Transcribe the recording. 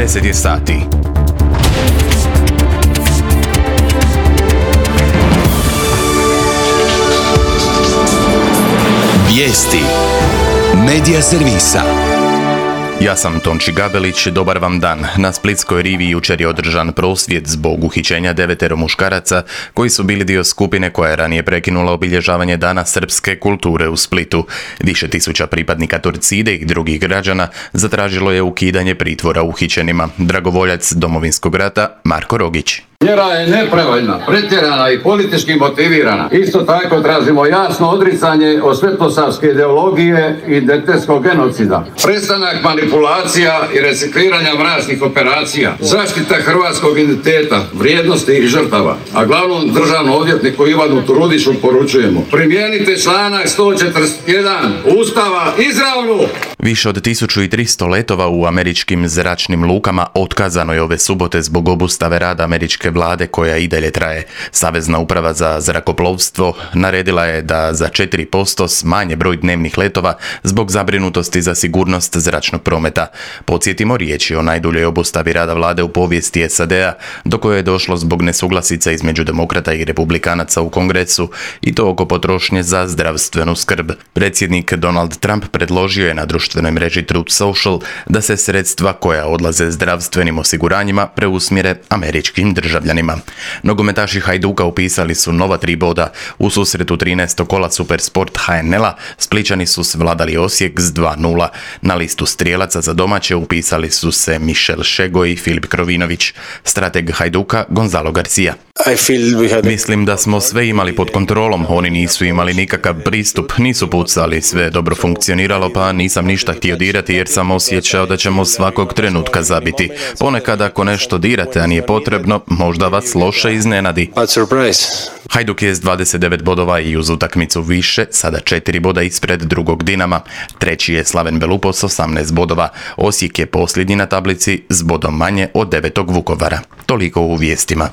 10 je sati. Vijesti Medija servisa. Ja sam Tonči Gabelić, dobar vam dan. Na Splitskoj rivi jučer je održan prosvjed zbog uhićenja 9 muškaraca koji su bili dio skupine koja je ranije prekinula obilježavanje Dana srpske kulture u Splitu. Više tisuća pripadnika Torcide i drugih građana zatražilo je ukidanje pritvora uhićenima. Dragovoljac Domovinskog rata Marko Rogić. Mjera je nepravedna, pretjerana i politički motivirana. Isto tako tražimo jasno odricanje od svetosavske ideologije i identitetskog genocida. Prestanak manipulacija i recikliranja mračnih operacija. Zaštita hrvatskog identiteta, vrijednosti i žrtava. A glavnom državnom odvjetniku Ivanu Turudiću poručujemo: primijenite članak 141 Ustava izravno! Više od 1300 letova u američkim zračnim lukama otkazano je ove subote zbog obustave rada američke vlade koja i dalje traje. Savezna uprava za zrakoplovstvo naredila je da za 4% smanje broj dnevnih letova zbog zabrinutosti za sigurnost zračnog prometa. Podsjetimo, riječ je o najduljoj obustavi rada vlade u povijesti SAD-a, do koje je došlo zbog nesuglasica između demokrata i republikanaca u Kongresu, i to oko potrošnje za zdravstvenu skrb. Predsjednik Donald Trump predložio je na društvenoj mreži Truth Social da se sredstva koja odlaze zdravstvenim osiguranjima preusmjere američkim državljanima. Nogometaši Hajduka upisali su nova 3 boda. U susretu 13. kola Supersport HNL-a Splićani su svladali Osijek s 2:0. Na listu strijelaca za domaće upisali su se Mišel Šego i Filip Krovinović. Strateg Hajduka Gonzalo Garcia: mislim da smo sve imali pod kontrolom, oni nisu imali nikakav pristup, nisu pucali, sve je dobro funkcioniralo, pa nisam ništa htio dirati jer sam osjećao da ćemo svakog trenutka zabiti. Ponekad ako nešto dirate, a nije potrebno, možda vas loše iznenadi. Hajduk je s 29 bodova i uz utakmicu više, sada 4 boda ispred drugog Dinama. Treći je Slaven Belupo s 18 bodova. Osijek je posljednji na tablici s bodom manje od 9. Vukovara. Toliko u vijestima.